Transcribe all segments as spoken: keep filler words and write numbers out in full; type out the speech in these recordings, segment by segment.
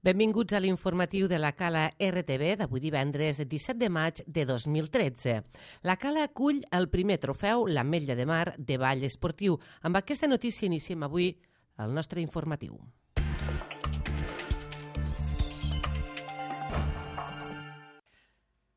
Benvinguts a l'informatiu de la Cala R T V d'avui divendres disset de maig de dos mil tretze. La Cala acull el primer trofeu l'Ametlla de Mar de ball esportiu. Amb aquesta notícia iniciem avui el nostre informatiu.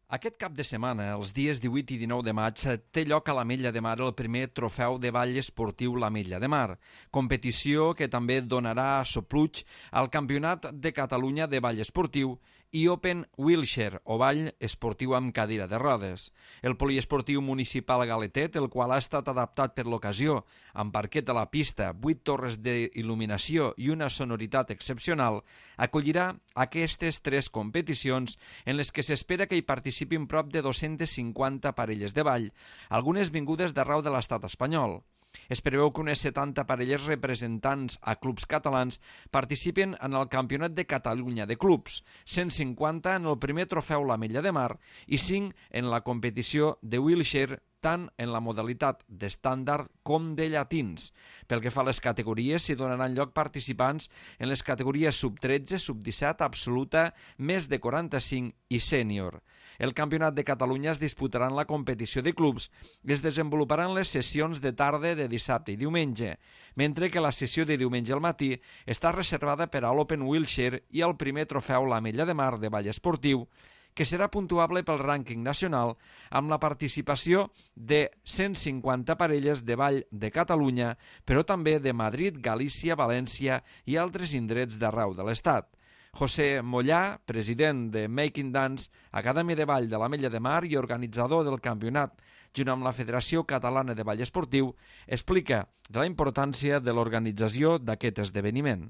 Aquest cap de setmana, els dies divuit i dinou de maig, té lloc a l'Ametlla de Mar el primer trofeu de ball esportiu l'Ametlla de Mar, competició que també donarà sopluig al Campionat de Catalunya de ball esportiu i Open Wheelchair, o ball esportiu amb cadira de rodes. El poliesportiu municipal galetet, el qual ha estat adaptat per l'ocasió, amb parquet a la pista, vuit torres d'il·luminació i una sonoritat excepcional, acollirà aquestes tres competicions en les que s'espera que hi participin prop de dos-centes cinquanta parelles de ball, algunes vingudes d'arreu de l'estat espanyol. Es preveu que unes setanta parelles representants a clubs catalans participen en el Campionat de Catalunya de Clubs, cent cinquanta en el primer trofeu l'Ametlla de Mar i cinc en la competició de wheelchair, tant en la modalitat d'estàndard com de llatins. Pel que fa a les categories, s'hi donaran lloc participants en les categories sub tretze, sub disset, absoluta, més de quaranta-cinc i sènior. El Campionat de Catalunya es disputarà en la competició de clubs i es desenvoluparan les sessions de tarda de dissabte i diumenge, mentre que la sessió de diumenge al matí està reservada per a l'Open Wheelchair i el primer trofeu l'Ametlla de Mar de ball esportiu, que serà puntuable pel rànquing nacional amb la participació de cent cinquanta parelles de ball de Catalunya, però també de Madrid, Galícia, València i altres indrets d'arreu de l'Estat. José Mollà, president de Making Dance, Acadèmia de Ball de l'Ametlla de Mar i organitzador del campionat, junt amb la Federació Catalana de Ball Esportiu, explica de la importància de l'organització d'aquest esdeveniment.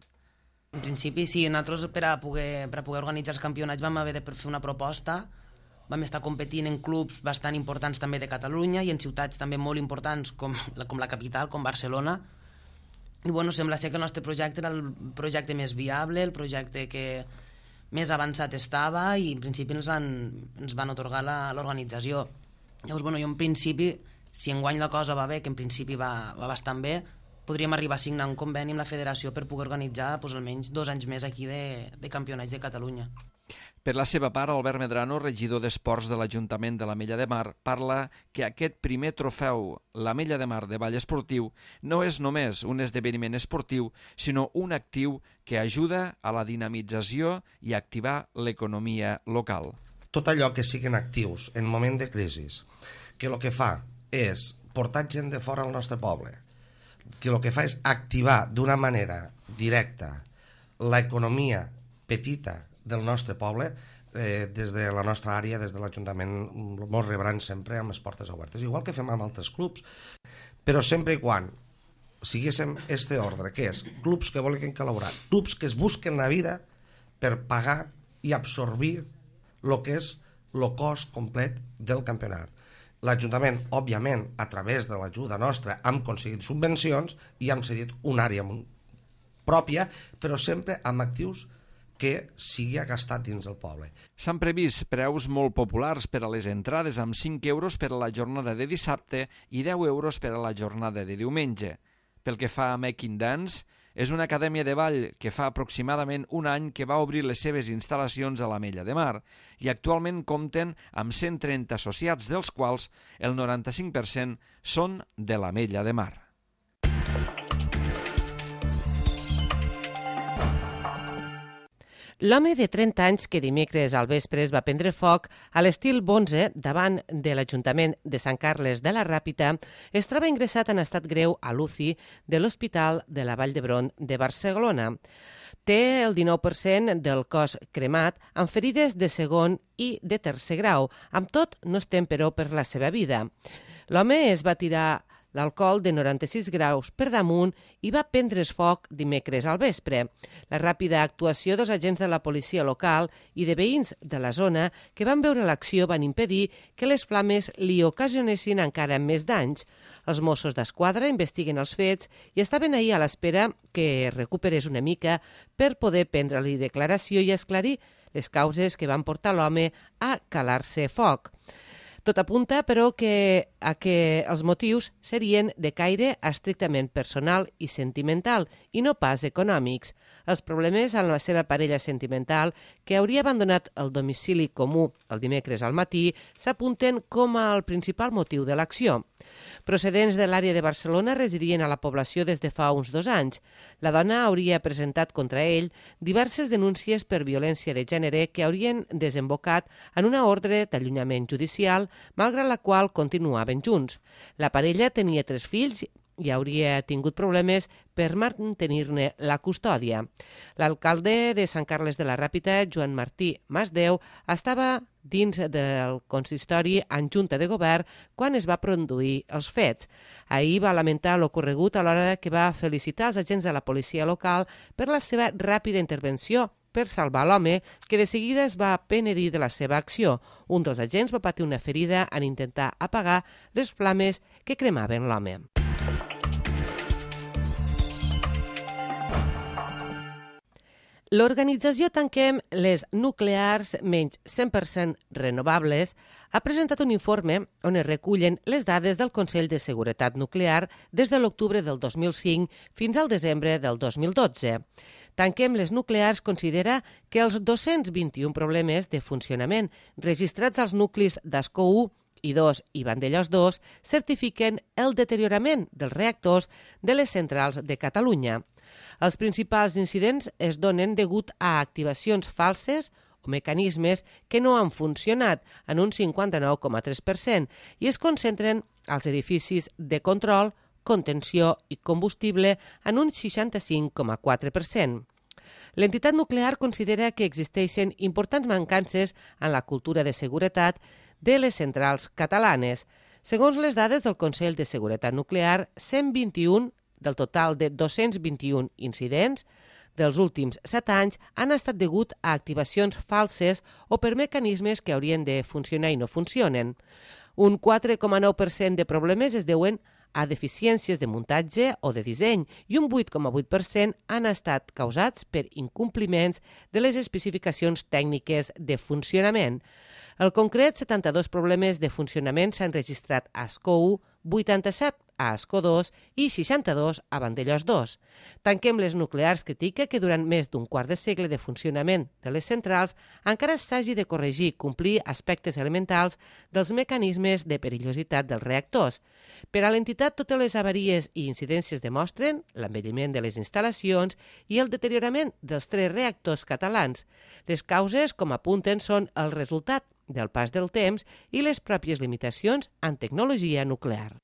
En principi, sí, nosaltres per a, poder, per a poder organitzar els campionats vam haver de fer una proposta, vam estar competint en clubs bastant importants també de Catalunya i en ciutats també molt importants com la, com la capital, com Barcelona. I bueno, sembla ser que el nostre projecte era el projecte més viable, el projecte que més avançat estava i en principi ens, han, ens van atorgar l'organització. Llavors, bueno, jo en principi, si enguany la cosa va bé, que en principi va, va bastant bé, podríem arribar a signar un conveni amb la federació per poder organitzar doncs, almenys dos anys més aquí de, de campionats de Catalunya. Per la seva part, Albert Medrano, regidor d'Esports de l'Ajuntament de l'Ametlla de Mar, parla que aquest primer trofeu, l'Ametlla de Mar de ball esportiu, no és només un esdeveniment esportiu, sinó un actiu que ajuda a la dinamització i a activar l'economia local. Tot allò que siguin actius en moment de crisi, que el que fa és portar gent de fora al nostre poble, que el que fa és activar d'una manera directa l'economia petita del nostre poble, eh, des de la nostra àrea, des de l'Ajuntament, ens rebran sempre amb les portes obertes, igual que fem amb altres clubs, però sempre i quan siguéssim este ordre, que és clubs que volen col·laborar, clubs que es busquen la vida per pagar i absorbir el que és el cost complet del campionat. L'Ajuntament, òbviament, a través de l'ajuda nostra, hem aconseguit subvencions i hem cedit una àrea pròpia, però sempre amb actius que sigui gastat dins del poble. S'han previst preus molt populars per a les entrades, amb cinc euros per a la jornada de dissabte i deu euros per a la jornada de diumenge. Pel que fa a Making Dance, és una acadèmia de ball que fa aproximadament un any que va obrir les seves instal·lacions a l'Ametlla de Mar i actualment compten amb cent trenta associats, dels quals el noranta-cinc per cent són de l'Ametlla de Mar. L'home de trenta anys que dimecres al vespre es va prendre foc a l'estil Bonze davant de l'Ajuntament de Sant Carles de la Ràpita es troba ingressat en estat greu a l'U C I de l'Hospital de la Vall d'Hebron de Barcelona. Té el dinou per cent del cos cremat amb ferides de segon i de tercer grau. Amb tot, no estem, però, per la seva vida. L'home es va tirar l'alcohol de noranta-sis graus per damunt i va prendre's foc dimecres al vespre. La ràpida actuació dels agents de la policia local i de veïns de la zona que van veure l'acció van impedir que les flames li ocasionessin encara més danys. Els Mossos d'Esquadra investiguen els fets i estaven ahir a l'espera que recuperés una mica per poder prendre-li declaració i esclarir les causes que van portar l'home a calar-se foc. Tot apunta, però, que, a que els motius serien de caire estrictament personal i sentimental i no pas econòmics. Els problemes amb la seva parella sentimental, que hauria abandonat el domicili comú el dimecres al matí, s'apunten com el principal motiu de l'acció. Procedents de l'àrea de Barcelona residien a la població des de fa uns dos anys. La dona hauria presentat contra ell diverses denúncies per violència de gènere que haurien desembocat en una ordre d'allunyament judicial, malgrat la qual continuaven junts. La parella tenia tres fills i hauria tingut problemes per mantenir-ne la custòdia. L'alcalde de Sant Carles de la Ràpita, Joan Martí Masdeu, estava dins del consistori en junta de govern quan es va produir els fets. Ahir va lamentar l'ocorregut a l'hora que va felicitar els agents de la policia local per la seva ràpida intervenció per salvar l'home, que de seguida es va penedir de la seva acció. Un dels agents va patir una ferida en intentar apagar les flames que cremaven l'home. L'organització Tanquem les Nuclears menys cent per cent renovables ha presentat un informe on es recullen les dades del Consell de Seguretat Nuclear des de l'octubre del dos mil cinc fins al desembre del dos mil dotze. Tanquem les Nuclears considera que els dos-cents vint-i-un problemes de funcionament registrats als nuclis d'Ascó u i dos i Vandellòs dos certifiquen el deteriorament dels reactors de les centrals de Catalunya. Els principals incidents es donen degut a activacions falses o mecanismes que no han funcionat en un cinquanta-nou coma tres per cent i es concentren als edificis de control, contenció i combustible en un seixanta-cinc coma quatre per cent. L'entitat nuclear considera que existeixen importants mancances en la cultura de seguretat de les centrals catalanes. Segons les dades del Consell de Seguretat Nuclear, cent vint-i-un del total de dos-cents vint-i-un incidents dels últims set anys han estat degut a activacions falses o per mecanismes que haurien de funcionar i no funcionen. Un quatre coma nou per cent de problemes es deuen a deficiències de muntatge o de disseny i un vuit coma vuit per cent han estat causats per incompliments de les especificacions tècniques de funcionament. En concret, setanta-dos problemes de funcionament s'han registrat a Ascó u, vuitanta-set a Ascó dos i seixanta-dos a Vandellòs dos. Tanquem les Nuclears critica que durant més d'un quart de segle de funcionament de les centrals encara s'hagi de corregir i complir aspectes elementals dels mecanismes de perillositat dels reactors. Per a l'entitat, totes les avaries i incidències demostren l'envelliment de les instal·lacions i el deteriorament dels tres reactors catalans. Les causes, com apunten, són el resultat del pas del temps i les pròpies limitacions en tecnologia nuclear.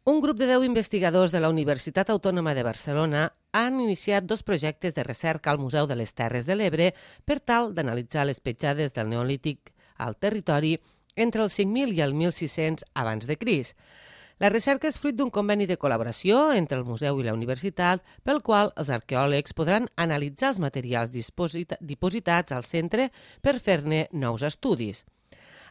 Un grup de deu investigadors de la Universitat Autònoma de Barcelona han iniciat dos projectes de recerca al Museu de les Terres de l'Ebre per tal d'analitzar les petjades del Neolític al territori entre el cinc mil i el mil sis-cents abans de Crist. La recerca és fruit d'un conveni de col·laboració entre el museu i la universitat, pel qual els arqueòlegs podran analitzar els materials dipositats al centre per fer-ne nous estudis.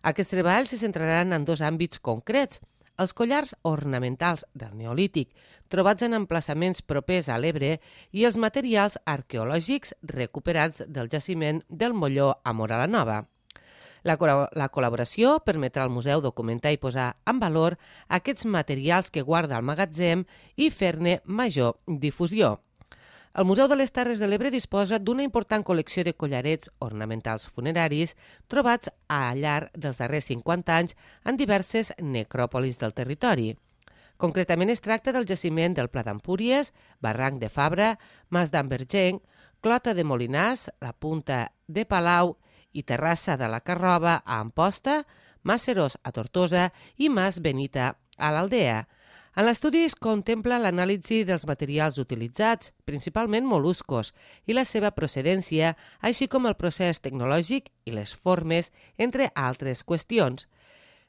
Aquests treballs se centraran en dos àmbits concrets: els collars ornamentals del Neolític, trobats en emplaçaments propers a l'Ebre, i els materials arqueològics recuperats del jaciment del Molló a Móra la Nova. La, la col·laboració permetrà al museu documentar i posar en valor aquests materials que guarda al magatzem i fer-ne major difusió. El Museu de les Terres de l'Ebre disposa d'una important col·lecció de collarets ornamentals funeraris trobats al llarg dels darrers cinquanta anys en diverses necròpolis del territori. Concretament es tracta del jaciment del Pla d'Empúries, Barranc de Fabra, Mas d'Ambergenc, Clota de Molinars, la Punta de Palau i Terrassa de la Carroba a Amposta, Mas Serós a Tortosa i Mas Benita a l'Aldea. En l'estudi es contempla l'anàlisi dels materials utilitzats, principalment mol·luscos, i la seva procedència, així com el procés tecnològic i les formes, entre altres qüestions.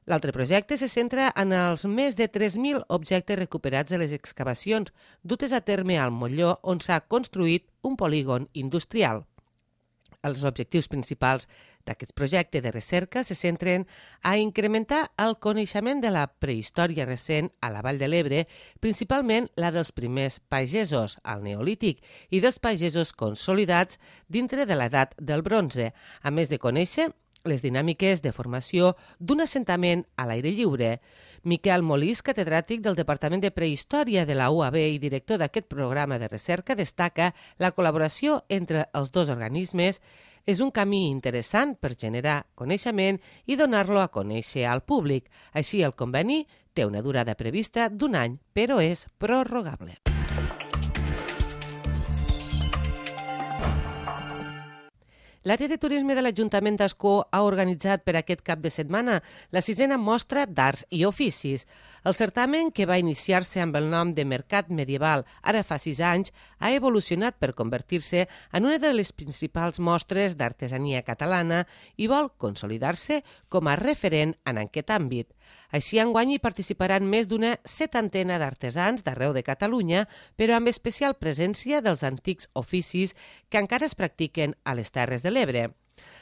L'altre projecte se centra en els més de tres mil objectes recuperats de les excavacions dutes a terme al Molló, on s'ha construït un polígon industrial. Els objectius principals d'aquest projecte de recerca se centren a incrementar el coneixement de la prehistòria recent a la Vall de l'Ebre, principalment la dels primers pagesos al Neolític i dels pagesos consolidats dintre de l'edat del bronze, a més de conèixer les dinàmiques de formació d'un assentament a l'aire lliure. Miquel Molís, catedràtic del Departament de Prehistòria de la U A B i director d'aquest programa de recerca, destaca la col·laboració entre els dos organismes és un camí interessant per generar coneixement i donar-lo a conèixer al públic. Així, el conveni té una durada prevista d'un any, però és prorrogable. L'àrea de turisme de l'Ajuntament d'Ascó ha organitzat per aquest cap de setmana la sisena mostra d'arts i oficis. El certamen, que va iniciar-se amb el nom de Mercat Medieval ara fa sis anys, ha evolucionat per convertir-se en una de les principals mostres d'artesania catalana i vol consolidar-se com a referent en aquest àmbit. Així, enguany hi participaran més d'una setantena d'artesans d'arreu de Catalunya, però amb especial presència dels antics oficis que encara es practiquen a les Terres de l'Ebre.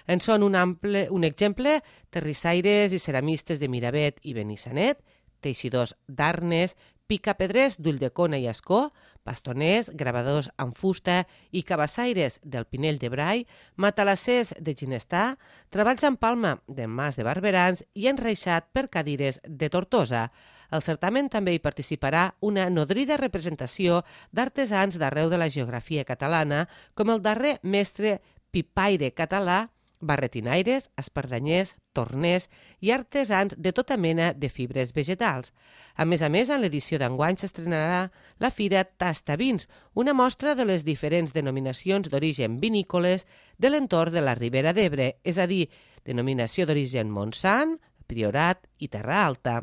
En són un, ample, un exemple terrissaires i ceramistes de Miravet i Benissanet, teixidors d'Arnes, picapedrers d'Ulldecona i Ascó, bastoners, gravadors amb fusta i cabassaires del Pinell de Brai, matalassers de Ginestà, treballs en palma de Mas de Barberans i enreixat per cadires de Tortosa. Al certamen també hi participarà una nodrida representació d'artesans d'arreu de la geografia catalana, com el darrer mestre pipaire català, barretinaires, espardanyers, torners i artesans de tota mena de fibres vegetals. A més a més, en l'edició d'enguany s'estrenarà la Fira Tastavins, una mostra de les diferents denominacions d'origen vinícoles de l'entorn de la Ribera d'Ebre, és a dir, denominació d'origen Montsant, Priorat i Terra Alta.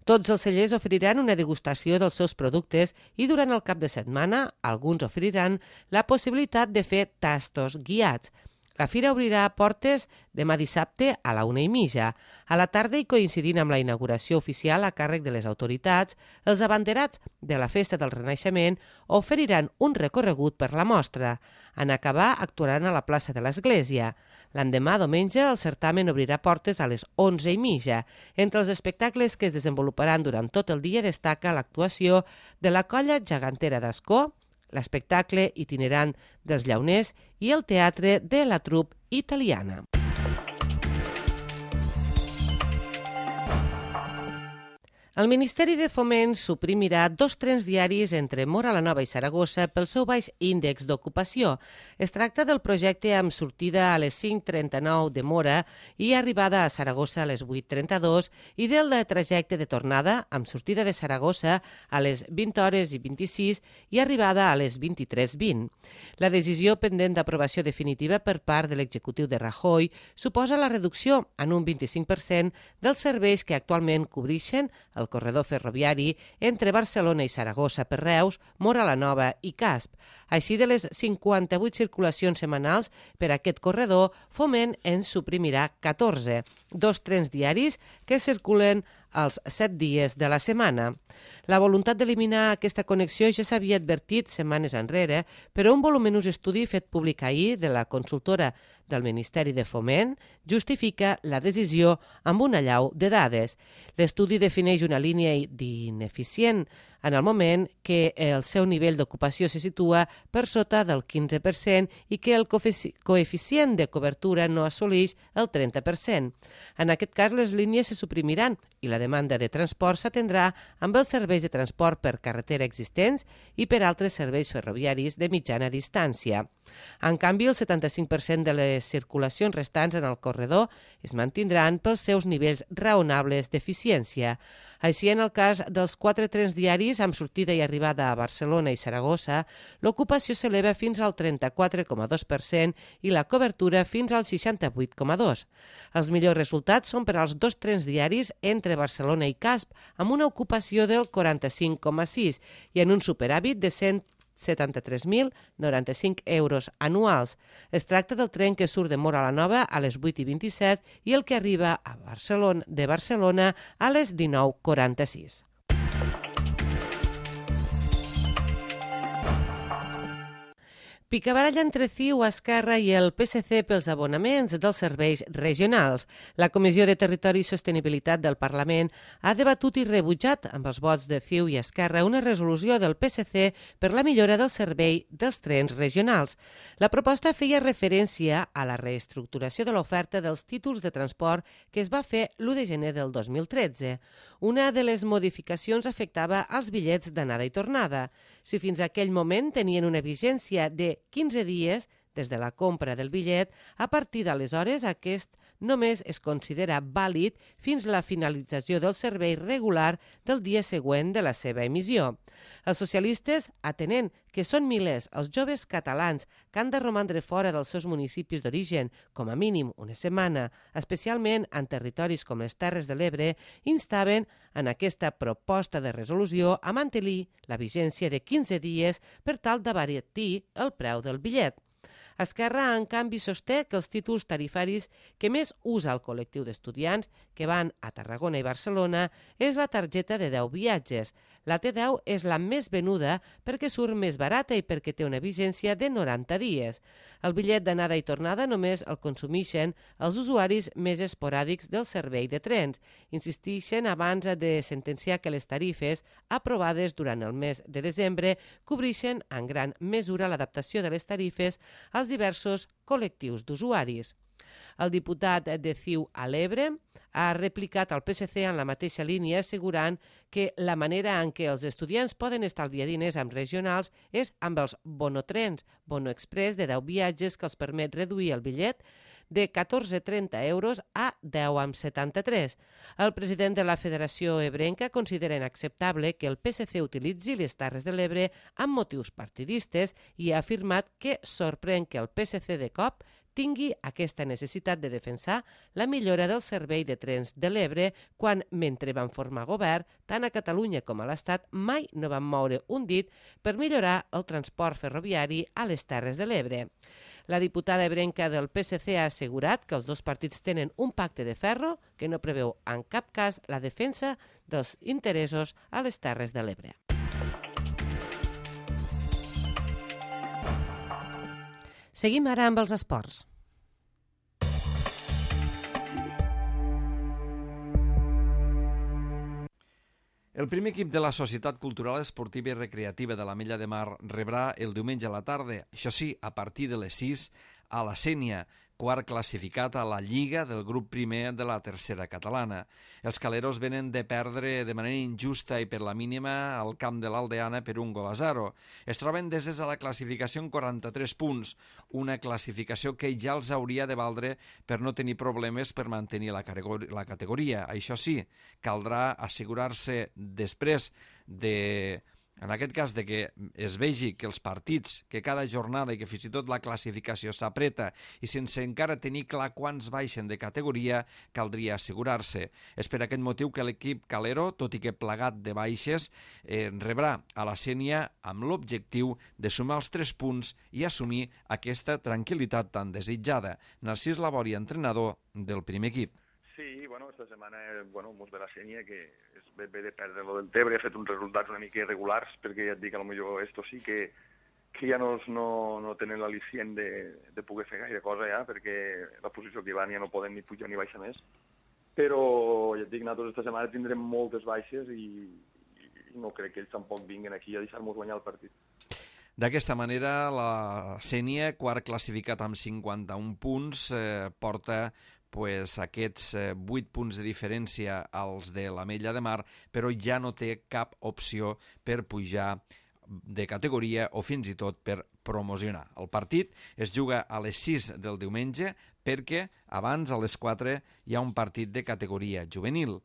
Tots els cellers oferiran una degustació dels seus productes i durant el cap de setmana alguns oferiran la possibilitat de fer tastos guiats. La fira obrirà portes demà dissabte a la una i mitja. A la tarda, i coincidint amb la inauguració oficial a càrrec de les autoritats, els abanderats de la Festa del Renaixement oferiran un recorregut per la mostra. En acabar, actuaran a la plaça de l'Església. L'endemà, diumenge, el certamen obrirà portes a les onze i mitja. Entre els espectacles que es desenvoluparan durant tot el dia destaca l'actuació de la Colla Gegantera d'Ascó, l'espectacle itinerant dels llauners i el teatre de la trup italiana. El Ministeri de Foment suprimirà dos trens diaris entre Móra la Nova i Saragossa pel seu baix índex d'ocupació. Es tracta del projecte amb sortida a les cinc trenta-nou de Móra i arribada a Saragossa a les vuit trenta-dos i del trajecte de tornada amb sortida de Saragossa a les vint hores i vint-i-sis i arribada a les vint-i-tres vint. La decisió pendent d'aprovació definitiva per part de l'executiu de Rajoy suposa la reducció en un vint-i-cinc per cent dels serveis que actualment cobreixen el corredor ferroviari entre Barcelona i Saragossa per Reus, Móra la Nova i Casp. Així, de les cinquanta-vuit circulacions setmanals per aquest corredor, Foment en suprimirà catorze, dos trens diaris que circulen els set dies de la setmana. La voluntat d'eliminar aquesta connexió ja s'havia advertit setmanes enrere, però un voluminós estudi fet públic ahir de la consultora del Ministeri de Foment justifica la decisió amb una allau de dades. L'estudi defineix una línia d'ineficient en el moment que el seu nivell d'ocupació se situa per sota del quinze per cent i que el coeficient de cobertura no assoleix el trenta per cent. En aquest cas, les línies se suprimiran i la demanda de transport s'atendrà amb els serveis de transport per carretera existents i per altres serveis ferroviaris de mitjana distància. En canvi, el setanta-cinc per cent de les circulacions restants en el corredor es mantindran pels seus nivells raonables d'eficiència. Així, en el cas dels quatre trens diaris amb sortida i arribada a Barcelona i Saragossa, l'ocupació s'eleva fins al trenta-quatre coma dos per cent i la cobertura fins al seixanta-vuit coma dos per cent. Els millors resultats són per als dos trens diaris entre Barcelona i Casp, amb una ocupació del quaranta-cinc coma sis per cent i en un superàvit de cent setanta-tres mil noranta-cinc euros anuals. Es tracta del tren que surt de Móra la Nova a les vuit i vint-i-set i el que arriba a Barcelona, de Barcelona a les dinou quaranta-sis. Picabaralla entre C I U, Esquerra i el P S C pels abonaments dels serveis regionals. La Comissió de Territori i Sostenibilitat del Parlament ha debatut i rebutjat amb els vots de C I U i Esquerra una resolució del P S C per la millora del servei dels trens regionals. La proposta feia referència a la reestructuració de l'oferta dels títols de transport que es va fer l'u de gener del dos mil tretze. Una de les modificacions afectava als bitllets d'anada i tornada. Si fins a aquell moment tenien una vigència de quinze dies des de la compra del bitllet, a partir d'aleshores aquest només es considera vàlid fins la finalització del servei regular del dia següent de la seva emissió. Els socialistes, atenent que són milers els joves catalans que han de romandre fora dels seus municipis d'origen, com a mínim una setmana, especialment en territoris com les Terres de l'Ebre, instaven en aquesta proposta de resolució a mantenir la vigència de quinze dies per tal d'abaratir el preu del bitllet. Esquerra, en canvi, sosté que els títols tarifaris que més usa el col·lectiu d'estudiants que van a Tarragona i Barcelona és la targeta de deu viatges. La T deu és la més venuda perquè surt més barata i perquè té una vigència de noranta dies. El bitllet d'anada i tornada només el consumeixen els usuaris més esporàdics del servei de trens. Insisteixen abans de sentenciar que les tarifes aprovades durant el mes de desembre cobreixen en gran mesura l'adaptació de les tarifes als diversos col·lectius d'usuaris. El diputat de C I U a l'Ebre ha replicat al P S C en la mateixa línia, assegurant que la manera en què els estudiants poden estalviar diners amb regionals és amb els bonotrens, bono express de deu viatges que els permet reduir el bitllet de catorze coma trenta euros a deu coma setanta-tres. El president de la Federació Ebrenca considera inacceptable que el P S C utilitzi les Terres de l'Ebre amb motius partidistes i ha afirmat que sorprèn que el P S C de cop tingui aquesta necessitat de defensar la millora del servei de trens de l'Ebre quan, mentre van formar govern, tant a Catalunya com a l'Estat, mai no van moure un dit per millorar el transport ferroviari a les Terres de l'Ebre. La diputada ebrenca del P S C ha assegurat que els dos partits tenen un pacte de ferro que no preveu en cap cas la defensa dels interessos a les Terres de l'Ebre. Seguim ara amb els esports. El primer equip de la Societat Cultural Esportiva i Recreativa de l'Ametlla de Mar rebrà el diumenge a la tarda, això sí, a partir de les sis, a la Sénia, quart classificat a la Lliga del grup primer de la tercera catalana. Els caleros venen de perdre de manera injusta i per la mínima al camp de l'Aldeana per un gol a zero. Es troben deses a la classificació amb quaranta-tres punts, una classificació que ja els hauria de valdre per no tenir problemes per mantenir la categoria. Això sí, caldrà assegurar-se després de... En aquest cas, de que es vegi que els partits, que cada jornada i que fins i tot la classificació s'apreta i sense encara tenir clar quants baixen de categoria, caldria assegurar-se. És per aquest motiu que l'equip calero, tot i que plagat de baixes, eh, rebrà a la Sénia amb l'objectiu de sumar els tres punts i assumir aquesta tranquil·litat tan desitjada. Narcís Labori, entrenador del primer equip. Sí, bueno, esta setmana, bueno, mos ve la Sénia, que és bé, bé de perdre lo del Tebre, ha fet uns resultats una mica irregulars, perquè ja et dic, potser esto sí que, que ja no, no, no tenen l'al·licient de, de poder fer gaire cosa ja, perquè la posició que van ja no poden ni pujar ni baixar més. Però, ja et dic, nosaltres esta setmana tindrem moltes baixes i, i no crec que ells tampoc vinguin aquí a deixar-nos guanyar el partit. D'aquesta manera, la Sénia, quart classificat amb cinquanta-un punts, eh, porta pues, aquests eh, vuit punts de diferència als de l'Ametlla de Mar, però ja no té cap opció per pujar de categoria o fins i tot per promocionar. El partit es juga a les sis del diumenge perquè abans, a les quatre, hi ha un partit de categoria juvenil.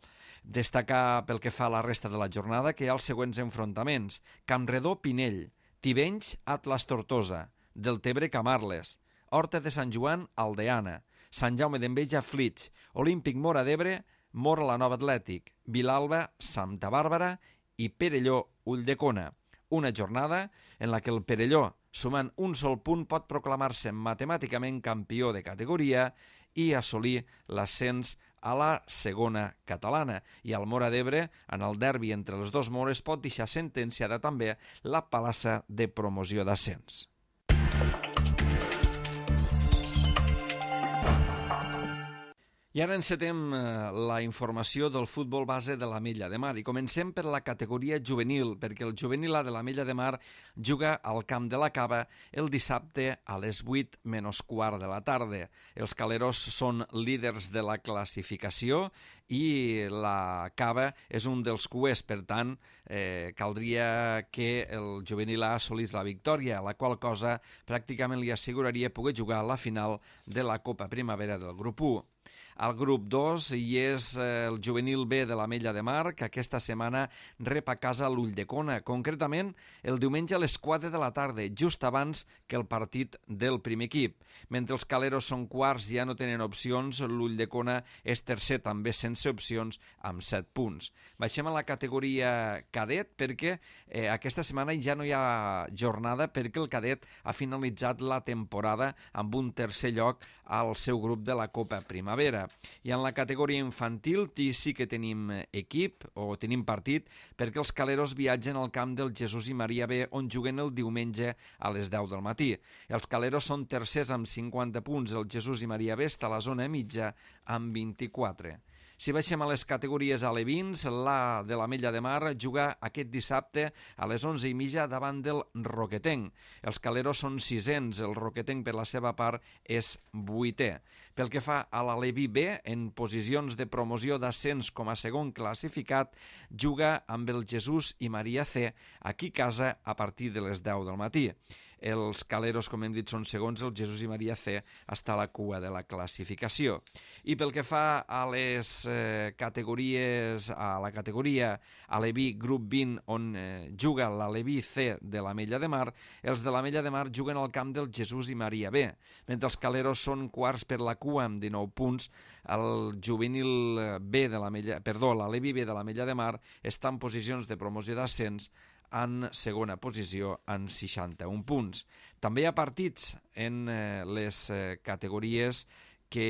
Destacar pel que fa a la resta de la jornada que hi ha els següents enfrontaments. Campredó-Pinell, Tivenys, Atlas Tortosa, Deltebre Camarles, Horta de Sant Joan, Aldeana, Sant Jaume d'Enveja, Flix, Olímpic Móra d'Ebre, Móra la Nova Atlètic, Vilalba, Santa Bàrbara i Perelló, Ulldecona. Una jornada en la que el Perelló, sumant un sol punt, pot proclamar-se matemàticament campió de categoria i assolir l'ascens a la segona catalana. I el Móra d'Ebre, en el derbi entre els dos Mores, pot deixar sentenciada també la palassa de promoció d'ascens. I ara encetem la informació del futbol base de l'Ametlla de Mar i comencem per la categoria juvenil, perquè el juvenil A de l'Ametlla de Mar juga al camp de la Cava el dissabte a les vuit menys quart de la tarda. Els caleros són líders de la classificació i la Cava és un dels cuers, per tant, eh, caldria que el juvenil A assolís la victòria, la qual cosa pràcticament li asseguraria poder jugar a la final de la Copa Primavera del grup u. Al grup dos hi és el juvenil B de l'Ametlla de Mar, que aquesta setmana rep a casa l'Ulldecona, concretament el diumenge a les quatre de la tarda, just abans que el partit del primer equip. Mentre els caleros són quarts i ja no tenen opcions, l'Ulldecona és tercer també sense opcions amb set punts. Baixem a la categoria cadet perquè eh, aquesta setmana ja no hi ha jornada perquè el cadet ha finalitzat la temporada amb un tercer lloc al seu grup de la Copa Primavera. I en la categoria infantil sí que tenim equip o tenim partit perquè els caleros viatgen al camp del Jesús i Maria B on juguen el diumenge a les deu del matí. Els caleros són tercers amb cinquanta punts, el Jesús i Maria B està a la zona mitja amb vint-i-quatre. Si baixem a les categories alevins, l'A de l'Ametlla de Mar juga aquest dissabte a les onze i mitja davant del Roquetenc. Els caleros són sisens, el Roquetenc per la seva part és vuitè. Pel que fa a l'Aleví B, en posicions de promoció d'ascens com a segon classificat, juga amb el Jesús i Maria C aquí a casa a partir de les deu del matí. Els caleros, com hem dit, són segons, el Jesús i Maria C està a la cua de la classificació. I pel que fa a les eh, categories, a la categoria Aleví grup vint, on eh, juga l'Aleví C de l'Ametlla de Mar, els de l'Ametlla de Mar juguen al camp del Jesús i Maria B. Mentre els caleros són quarts per la cua amb dinou punts, el juvenil B de l'Ametlla, perdó, l'Aleví B de l'Ametlla de Mar està en posicions de promoció d'ascens en segona posició en seixanta-un punts. També hi ha partits en eh, les eh, categories que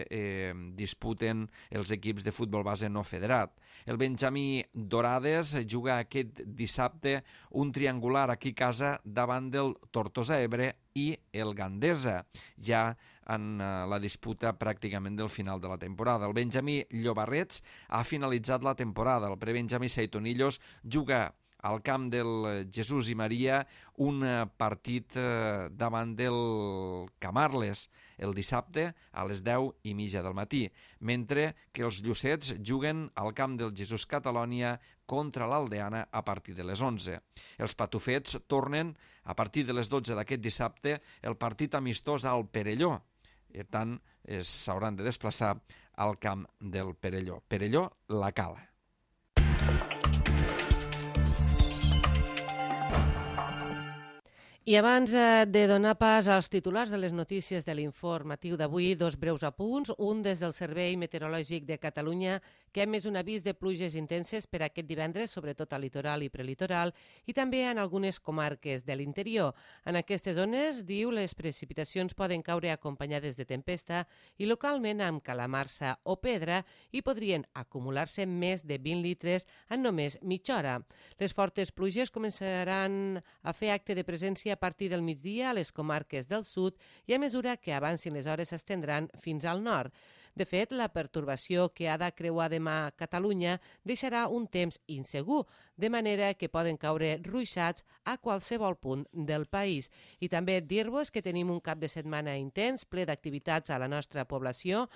eh, disputen els equips de futbol base no federat. El Benjamí Dorades juga aquest dissabte un triangular aquí a casa davant del Tortosa Ebre i el Gandesa, ja en eh, la disputa pràcticament del final de la temporada. El Benjamí Llobarrets ha finalitzat la temporada. El prebenjamí Seitonillos juga al camp del Jesús i Maria un partit eh, davant del Camarles el dissabte a les deu i mitja del matí, mentre que els Llucets juguen al camp del Jesús Catalònia contra l'Aldeana a partir de les onze. Els Patufets tornen a partir de les dotze d'aquest dissabte el partit amistós al Perelló. Per tant, s'hauran de desplaçar al camp del Perelló. Perelló, la Cala. I abans de donar pas als titulars de les notícies de l'informatiu d'avui, dos breus apunts. Un des del Servei Meteorològic de Catalunya, que ha emès un avís de pluges intenses per aquest divendres, sobretot al litoral i prelitoral, i també en algunes comarques de l'interior. En aquestes zones, diu, les precipitacions poden caure acompanyades de tempesta i localment amb calamarsa o pedra i podrien acumular-se més de vint litres en només mitja hora. Les fortes pluges començaran a fer acte de presència a partir del migdia a les comarques del sud i a mesura que avancin les hores s'estendran fins al nord. De fet, la pertorbació que ha de creuar demà Catalunya deixarà un temps insegur, de manera que poden caure ruixats a qualsevol punt del país. I també dir-vos que tenim un cap de setmana intens, ple d'activitats a la nostra població.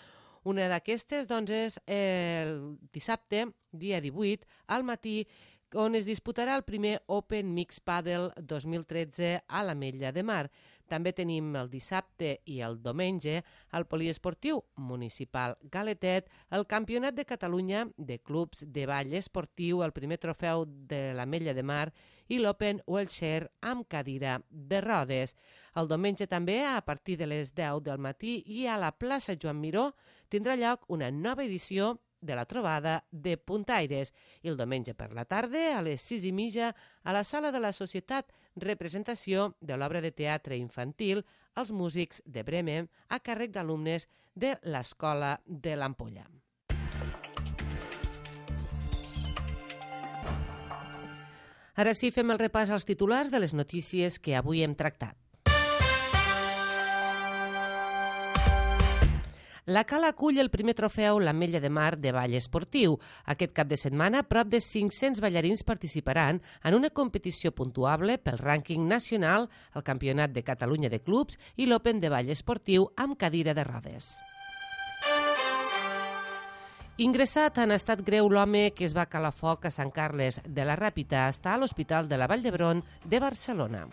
Una d'aquestes, doncs, és el dissabte, dia divuit, al matí, on es disputarà el primer Open Mix Padel dos mil tretze a l'Ametlla de Mar. També tenim el dissabte i el diumenge al Poliesportiu Municipal Galetet, el Campionat de Catalunya de Clubs de Ball Esportiu, el primer trofeu de l'Ametlla de Mar i l'Open Wheelchair amb cadira de rodes. El diumenge també, a partir de les deu del matí i a la plaça Joan Miró, tindrà lloc una nova edició de la trobada de puntaires. I el diumenge per la tarda, a les sis i mitja, a la sala de la Societat, representació de l'obra de teatre infantil Els músics de Bremen a càrrec d'alumnes de l'Escola de l'Ampolla. Ara sí, fem el repàs als titulars de les notícies que avui hem tractat. La Cala acull el primer trofeu l'Ametlla de Mar de ball esportiu. Aquest cap de setmana, prop de cinc-cents ballarins participaran en una competició puntuable pel rànquing nacional, el Campionat de Catalunya de Clubs i l'Open de ball esportiu amb cadira de rodes. Ingressat en estat greu l'home que es va calar foc a Sant Carles de la Ràpita està a l'Hospital de la Vall d'Hebron de Barcelona.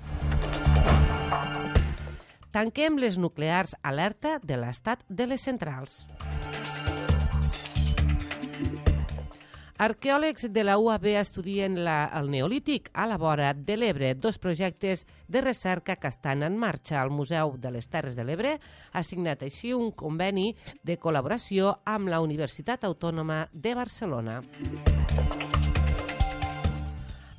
Tanquem les nuclears alerta de l'estat de les centrals. Arqueòlegs de la U A B estudien la, el Neolític a la vora de l'Ebre. Dos projectes de recerca que estan en marxa. El Museu de les Terres de l'Ebre ha signat així un conveni de col·laboració amb la Universitat Autònoma de Barcelona.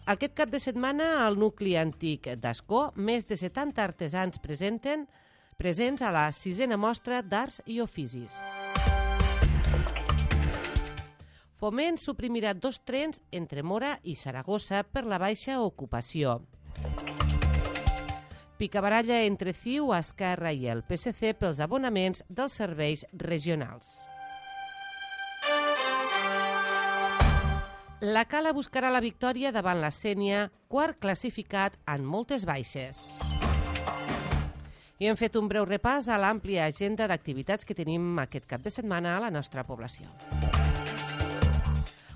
Aquest cap de setmana, al nucli antic d'Ascó, més de setanta artesans presenten, presents a la sisena mostra d'arts i oficis. Foment suprimirà dos trens entre Mora i Saragossa per la baixa ocupació. Picabaralla entre C I U, Esquerra i el P S C pels abonaments dels serveis regionals. La Cala buscarà la victòria davant la Sénia, quart classificat en moltes baixes. I hem fet un breu repàs a l'àmplia agenda d'activitats que tenim aquest cap de setmana a la nostra població.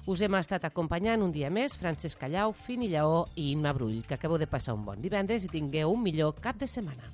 Us hem estat acompanyant un dia més Francesc Callau, Fini Lleó i Imma Brull. Que acabeu de passar un bon divendres i tingueu un millor cap de setmana.